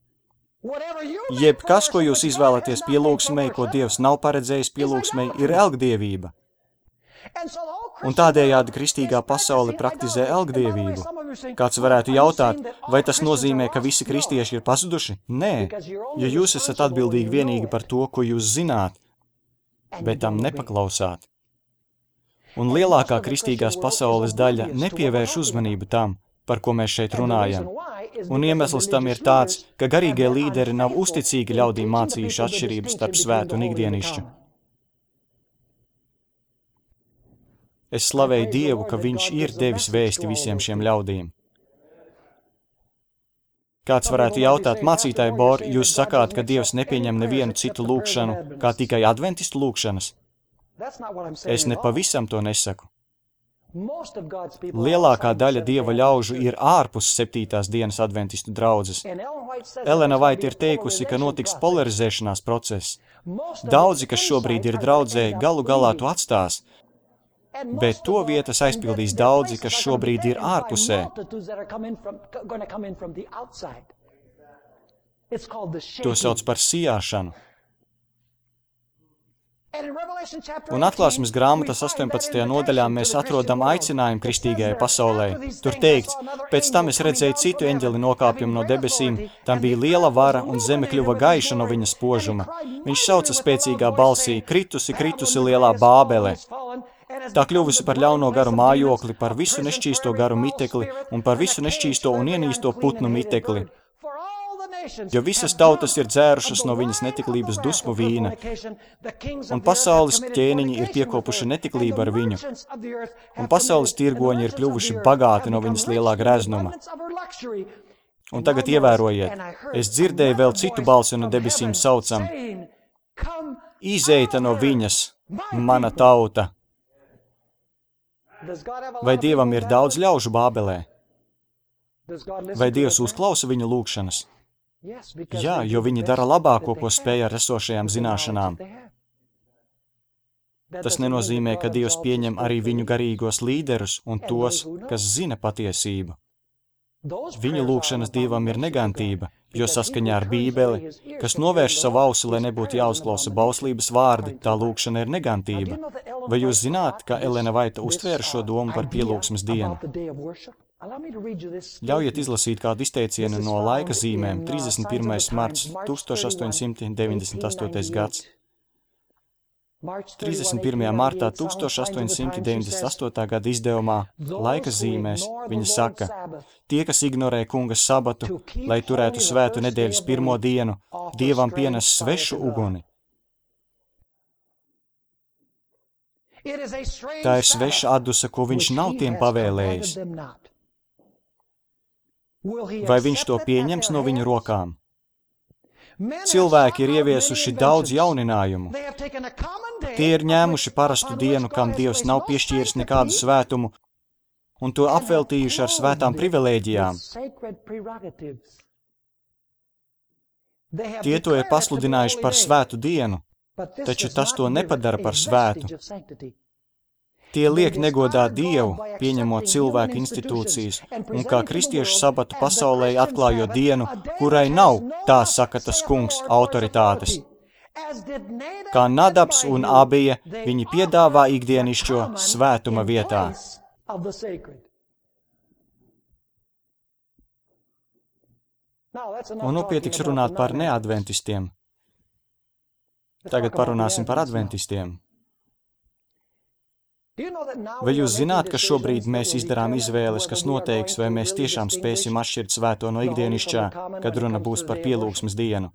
Jebkas, ko jūs izvēlaties pielūgsmei, ko Dievs nav paredzējis pielūgsmei, ir elgdievība. Un tādējādi kristīgā pasaule praktizē elgdievību. Kāds varētu jautāt, vai tas nozīmē, ka visi kristieši ir pazuduši? Nē, jo jūs esat atbildīgi vienīgi par to, ko jūs zināt, bet tam nepaklausāt. Un lielākā kristīgās pasaules daļa nepievērš uzmanību tam, par ko mēs šeit runājam. Un iemesls tam ir tāds, ka garīgie līderi nav uzticīgi ļaudīm mācījuši atšķirības starp svētu un ikdienišķu. Es slavēju Dievu, ka viņš ir devis vēsti visiem šiem ļaudīm. Kāds varētu jautāt, mācītāji Bor, jūs sakāt, ka Dievs nepieņem nevienu citu lūgšanu, kā tikai adventistu lūgšanas? Es nepavisam to nesaku. Lielākā daļa Dieva ļaužu ir ārpus 7. dienas adventistu draudzes. Elena Vaita ir teikusi, ka notiks polarizēšanās process. Daudzi, kas šobrīd ir draudzē, galu galā to atstās. bet to vietas aizpildīs daudzi, kas šobrīd ir ārpusē. To sauc par sijāšanu. Un Atklāsmes grāmatas 18. nodaļā mēs atrodam aicinājumu kristīgajai pasaulē. Tur teikts, pēc tam es redzēju citu eņģeli nokāpjumu no debesīm, tam bija liela vara un zeme kļuva gaiša no viņa spožuma. Viņš sauca spēcīgā balsī, kritusi, kritusi lielā Bābele. Tā kļuvusi par ļauno garu mājokli, par visu nešķīsto garu mitekli un par visu nešķīsto un ienīsto putnu mitekli. Jo visas tautas ir dzērušas no viņas netiklības dusmu vīna, un pasaules ķēniņi ir piekopuši netiklību ar viņu, un pasaules tirgoņi ir kļuvuši bagāti no viņas lielā greznuma. Un tagad ievērojiet, es dzirdēju vēl citu balsi no debesīm saucam, izeita no viņas, mana tauta. Vai Dievam ir daudz ļaužu Bābelē? Vai Dievs uzklausa viņu lūgšanas? Jā, jo viņi dara labāko, ko spēj ar esošajām zināšanām. Tas nenozīmē, ka Dievs pieņem arī viņu garīgos līderus un tos, kas zina patiesību. Viņu lūgšanas Dievam ir negantība, jo saskaņā ar Bībeli, kas novērš savu ausi, lai nebūtu jāuzklausa bauslības vārdi, tā lūgšana ir negantība. Vai jūs zināt, ka Elena Vaita uztvēra šo domu par pielūgsmes dienu? Ļaujiet izlasīt kādu izteicienu no laika zīmēm 31. marts 1898. gads. 31. martā 1898. gada izdevumā laika zīmēs viņa saka, tie, kas ignorē kunga sabatu, lai turētu svētu nedēļas pirmo dienu, Dievam pienes svešu uguni. Tā ir sveša atdusa, ko viņš nav tiem pavēlējis. Vai viņš to pieņems no viņu rokām? Cilvēki ir ieviesuši daudz jauninājumu. Tie ir ņēmuši parastu dienu, kam Dievs nav piešķīris nekādu svētumu, un to apveltījuši ar svētām privilēģijām. Tie to ir pasludinājuši par svētu dienu, taču tas to nepadara par svētu. Tie liek negodā Dievu, pieņemot cilvēku institūcijas, un kā kristiešu sabatu pasaulē atklājot dienu, kurai nav, tā saka tas kungs, autoritātes. Kā Nadabs un Abija, viņi piedāvā ikdienišķo svētuma vietā. Un nu pietiks runāt par neadventistiem. Tagad parunāsim par adventistiem. Vai jūs zināt, ka šobrīd mēs izdarām izvēles, kas noteiks, vai mēs tiešām spēsim atšķirt svēto no ikdienišķā, kad runa būs par pielūgsmes dienu?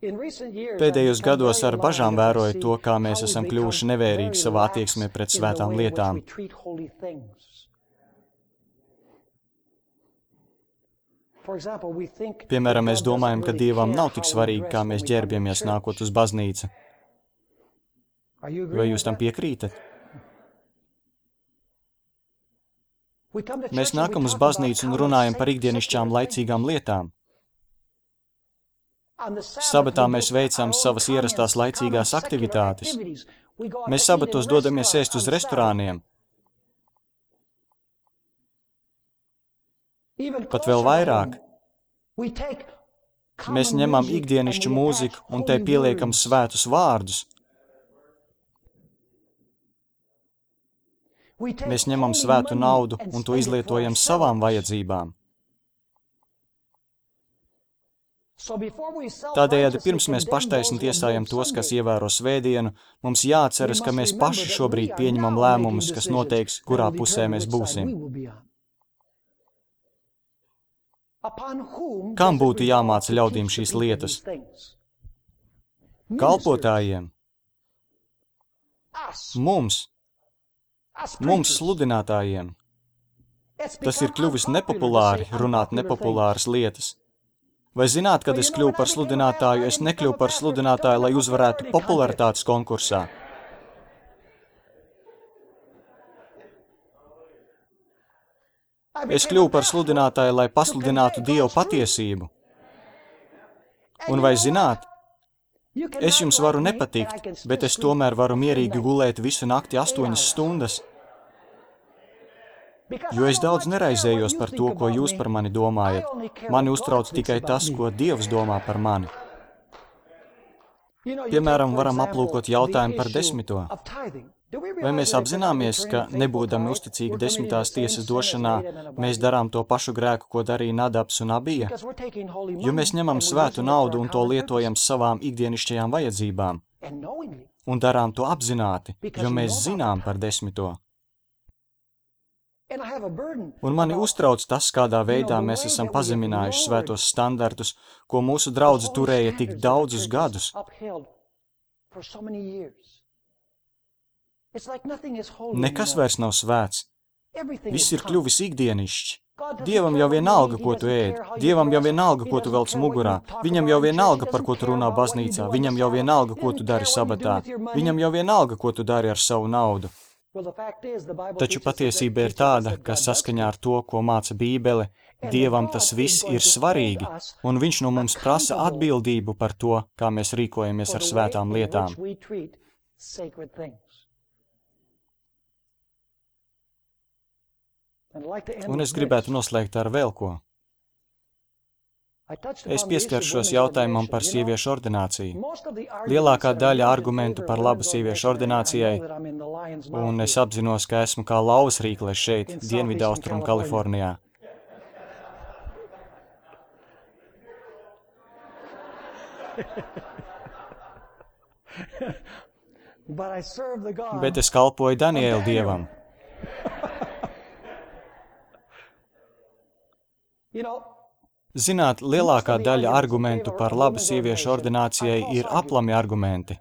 Pēdējos gados ar bažām vēroju to, kā mēs esam kļuvuši nevērīgi savā attieksmē pret svētām lietām. Piemēram, mēs domājam, ka Dievam nav tik svarīgi, kā mēs ģērbjamies nākot uz baznīcu. Vai jūs tam piekrītat? Mēs nākam uz baznīcu un runājam par ikdienišķām laicīgām lietām. Sabatā mēs veicam savas ierastās laicīgās aktivitātes. Mēs sabatos dodamies ēst uz restorāniem. Pat vēl vairāk. Mēs ņemam ikdienišķu mūziku un tai pieliekam svētus vārdus. Mēs ņemam svētu naudu un to izlietojam savām vajadzībām. Tādējādi pirms mēs paštaisni tiesājam tos, kas ievēro svētdienu, mums jāatceras, ka mēs paši šobrīd pieņemam lēmumus, kas noteiks, kurā pusē mēs būsim. Kam būtu jāmāca ļaudīm šīs lietas? Kalpotājiem? Mums, sludinātājiem. Tas ir kļuvis nepopulāri runāt nepopulāras lietas. Vai zināt, kad es kļuvu par sludinātāju, es nekļuvu par sludinātāju, lai uzvarētu popularitātes konkursā. Es kļuvu par sludinātāju, lai pasludinātu Dievu patiesību. Un vai zināt, Es jums varu nepatikt, bet es tomēr varu mierīgi gulēt visu nakti 8 stundas, jo es daudz neraizējos par to, ko jūs par mani domājat. Mani uztrauc tikai tas, ko Dievs domā par mani. Piemēram, varam aplūkot jautājumu par 10. Vai mēs apzināmies, ka, nebūdami uzticīgi 10. tiesas došanā, mēs darām to pašu grēku, ko darīja Nadabs un Abija? Jo mēs ņemam svētu naudu un to lietojam savām ikdienišķajām vajadzībām. Un darām to apzināti, jo mēs zinām par 10. Un mani uztrauc tas, kādā veidā mēs esam pazeminājuši svētos standartus, ko mūsu draudze turēja tik daudzus gadus. Nekas vairs nav svēts. Viss ir kļuvis ikdienišķs. Dievam jau vienalga, ko tu ēd. Dievam jau vienalga, ko tu velc mugurā. Viņam jau vienalga, par ko tu runā baznīcā. Viņam jau vienalga, ko tu dari sabatā. Viņam jau vienalga, ko tu dari ar savu naudu. Taču patiesība ir tāda, ka saskaņā ar to, ko māca Bībele, Dievam tas viss ir svarīgi, un Viņš no mums prasa atbildību par to, kā mēs rīkojamies ar svētām lietām. Un es gribētu noslēgt ar vēl ko. Es pieskaršos jautājumam par sieviešu ordināciju. Lielākā daļa argumentu par labu sieviešu ordinācijai, un es apzinos, ka esmu kā lauvas rīkle šeit, Dienvidaustrum Kalifornijā. Bet es kalpoju Daniela dievam. Zināt, lielākā daļa argumentu par labu sieviešu ordinācijai ir aplami argumenti.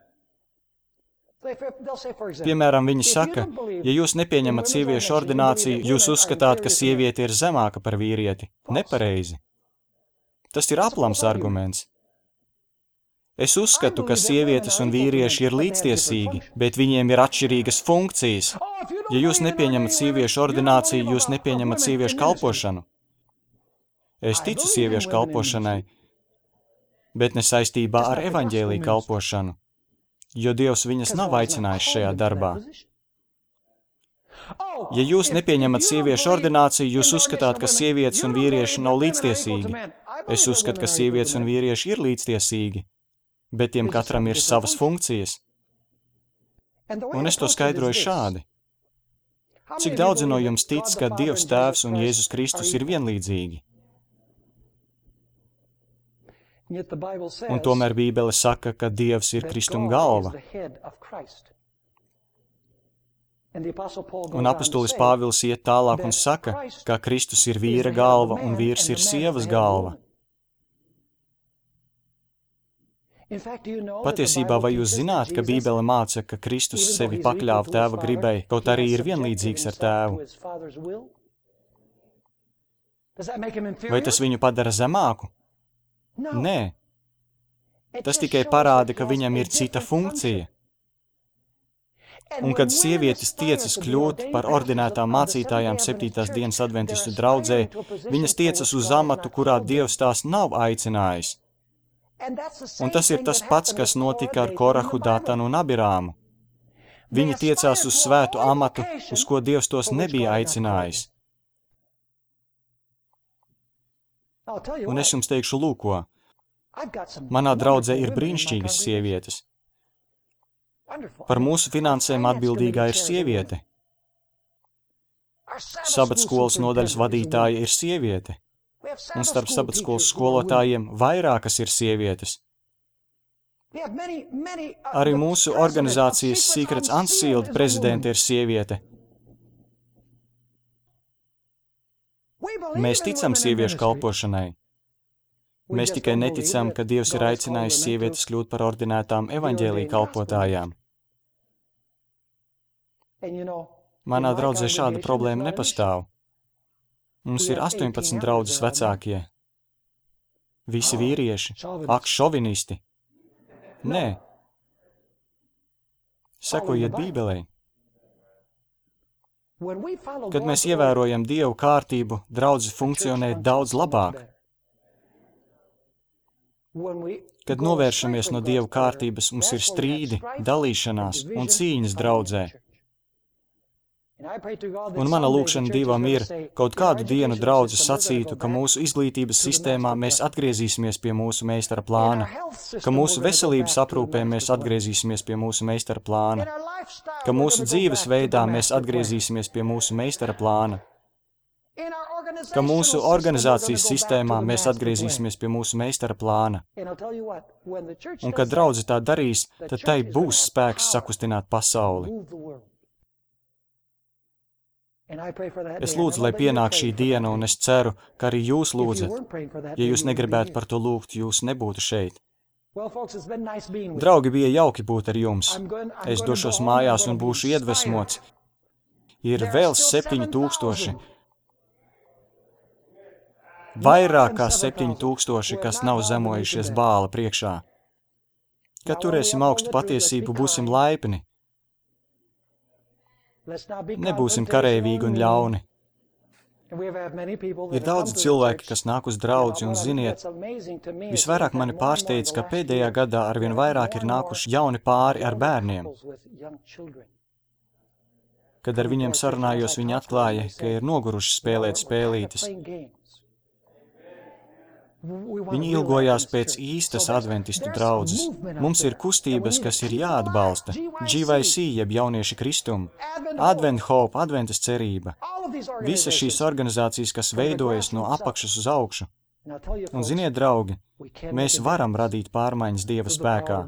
Piemēram, viņi saka, ja jūs nepieņemat sieviešu ordināciju, jūs uzskatāt, ka sieviete ir zemāka par vīrieti. Nepareizi. Tas ir aplams arguments. Es uzskatu, ka sievietes un vīrieši ir līdztiesīgi, bet viņiem ir atšķirīgas funkcijas. Ja jūs nepieņemat sieviešu ordināciju, jūs nepieņemat sieviešu kalpošanu. Es ticu sieviešu kalpošanai, bet ne saistībā ar evaņģēliju kalpošanu, jo Dievs viņas nav aicinājis šajā darbā. Ja jūs nepieņemat sieviešu ordināciju, jūs uzskatāt, ka sievietes un vīrieši nav līdztiesīgi. Es uzskatu, ka sievietes un vīrieši ir līdztiesīgi, bet tiem katram ir savas funkcijas. Un es to skaidroju šādi. Cik daudzi no jums tic, ka Dievs Tēvs un Jēzus Kristus ir vienlīdzīgi? Un tomēr Bībele saka, ka Dievs ir Kristum galva. Un apustulis Pāvils iet tālāk un saka, ka Kristus ir vīra galva un vīrs ir sievas galva. Patiesībā, vai jūs zināt, ka Bībele māca, ka Kristus sevi pakļāva Tēva gribai, kaut arī ir vienlīdzīgs ar Tēvu? Vai tas viņu padara zemāku? Nē. Tas tikai parāda, ka viņam ir cita funkcija. Un kad sievietes tiecas kļūt par ordinētām mācītājām 7. dienas adventistu draudzē, viņas tiecas uz amatu, kurā Dievs tās nav aicinājis. Un tas ir tas pats, kas notika ar Korahu, Datanu un Abirāmu. Viņi tiecās uz svētu amatu, uz ko Dievs tos nebija aicinājis. Un es jums teikšu, lūko, manā draudzē ir brīnišķīgas sievietes. Par mūsu finansēm atbildīgā ir sieviete. Sabatskolas nodaļas vadītāja ir sieviete. Un starp sabatskolas skolotājiem vairākas ir sievietes. Arī mūsu organizācijas Secrets Unsealed prezidente ir sieviete. Mēs ticam sieviešu kalpošanai. Mēs tikai neticam, ka Dievs ir aicinājis sievietes kļūt par ordinētām evaņģēlija kalpotājām. Manā draudzē šāda problēma nepastāv. Mums ir 18 draudzes vecākie. Visi vīrieši. Ak, šovinisti. Nē. Sekojiet Bībelei. Kad mēs ievērojam Dievu kārtību, draudzes funkcionē daudz labāk. Kad novēršamies no Dieva kārtības, mums ir strīdi, dalīšanās un cīņas draudzē. Un mana lūkšana Dievam ir, kaut kādu dienu draudze sacītu, ka mūsu izglītības sistēmā mēs atgriezīsimies pie mūsu meistara plāna, ka mūsu veselības aprūpē mēs atgriezīsimies pie mūsu meistara plāna, ka mūsu dzīves veidā mēs atgriezīsimies pie mūsu meistara plāna, ka mūsu organizācijas sistēmā mēs atgriezīsimies pie mūsu meistara plāna. Un kad draudze tā darīs, tad tai būs spēks sakustināt pasauli. Es lūdzu, lai pienāk šī diena, un es ceru, ka arī jūs lūdzat. Ja jūs negribētu par to lūgt, jūs nebūtu šeit. Draugi, bija jauki būt ar jums. Es došos mājās un būšu iedvesmots. Ir vēl 7000. Vairāk kā 7000, kas nav zemojušies Bāla priekšā. Kad turēsim augstu patiesību, būsim laipni. Nebūsim kareivīgi un ļauni. Ir daudzi cilvēki, kas nāk uz draudzi, un ziniet, visvairāk mani pārsteidz, ka pēdējā gadā arvien vairāk ir nākuši jauni pāri ar bērniem. Kad ar viņiem sarunājos, viņi atklāja, ka ir noguruši spēlēt spēlītes. Viņi ilgojās pēc īstas adventistu draudzes. Mums ir kustības, kas ir jāatbalsta. GYC, jeb jaunieši kristumi, Advent Hope, Adventas cerība. Visas šīs organizācijas, kas veidojas no apakšas uz augšu. Un ziniet, draugi, mēs varam radīt pārmaiņas Dieva spēkā.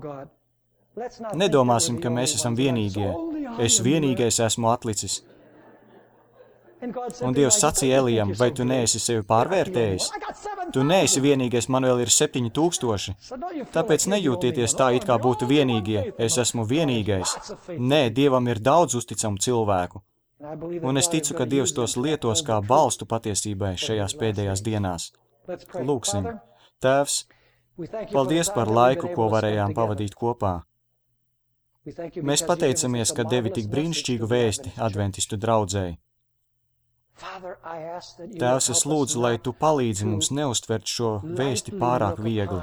Nedomāsim, ka mēs esam vienīgie. Es vienīgais esmu atlicis. Un Dievs sacīja Elijam, vai tu neesi sevi pārvērtējis? Tu neesi vienīgais, man vēl ir 7000. Tāpēc nejūtieties tā, it kā būtu vienīgie. Es esmu vienīgais. Nē, Dievam ir daudz uzticamu cilvēku. Un es ticu, ka Dievs tos lietos kā balstu patiesībai šajās pēdējās dienās. Lūksim. Tēvs, paldies par laiku, ko varējām pavadīt kopā. Mēs pateicamies, ka devi tik brīnišķīgu vēsti adventistu draudzēji. Tēvs, es lūdzu, lai tu palīdzi mums neuztvert šo vēsti pārāk viegli,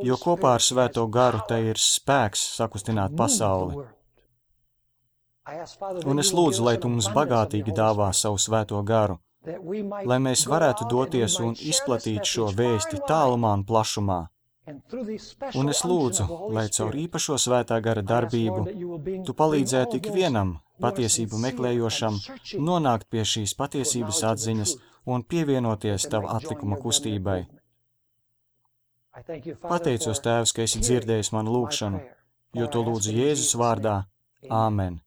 jo kopā ar Svēto garu tai ir spēks sakustināt pasauli. Un es lūdzu, lai tu mums bagātīgi dāvā savu Svēto garu, lai mēs varētu doties un izplatīt šo vēsti tālumā un plašumā. Un es lūdzu, lai caur īpašo Svētā gara darbību tu palīdzētu ikvienam patiesību meklējošam nonākt pie šīs patiesības atziņas un pievienoties tava atlikuma kustībai. Pateicos, Tēvs, ka esi dzirdējis manu lūgšanu, jo to lūdzu Jēzus vārdā. Āmen.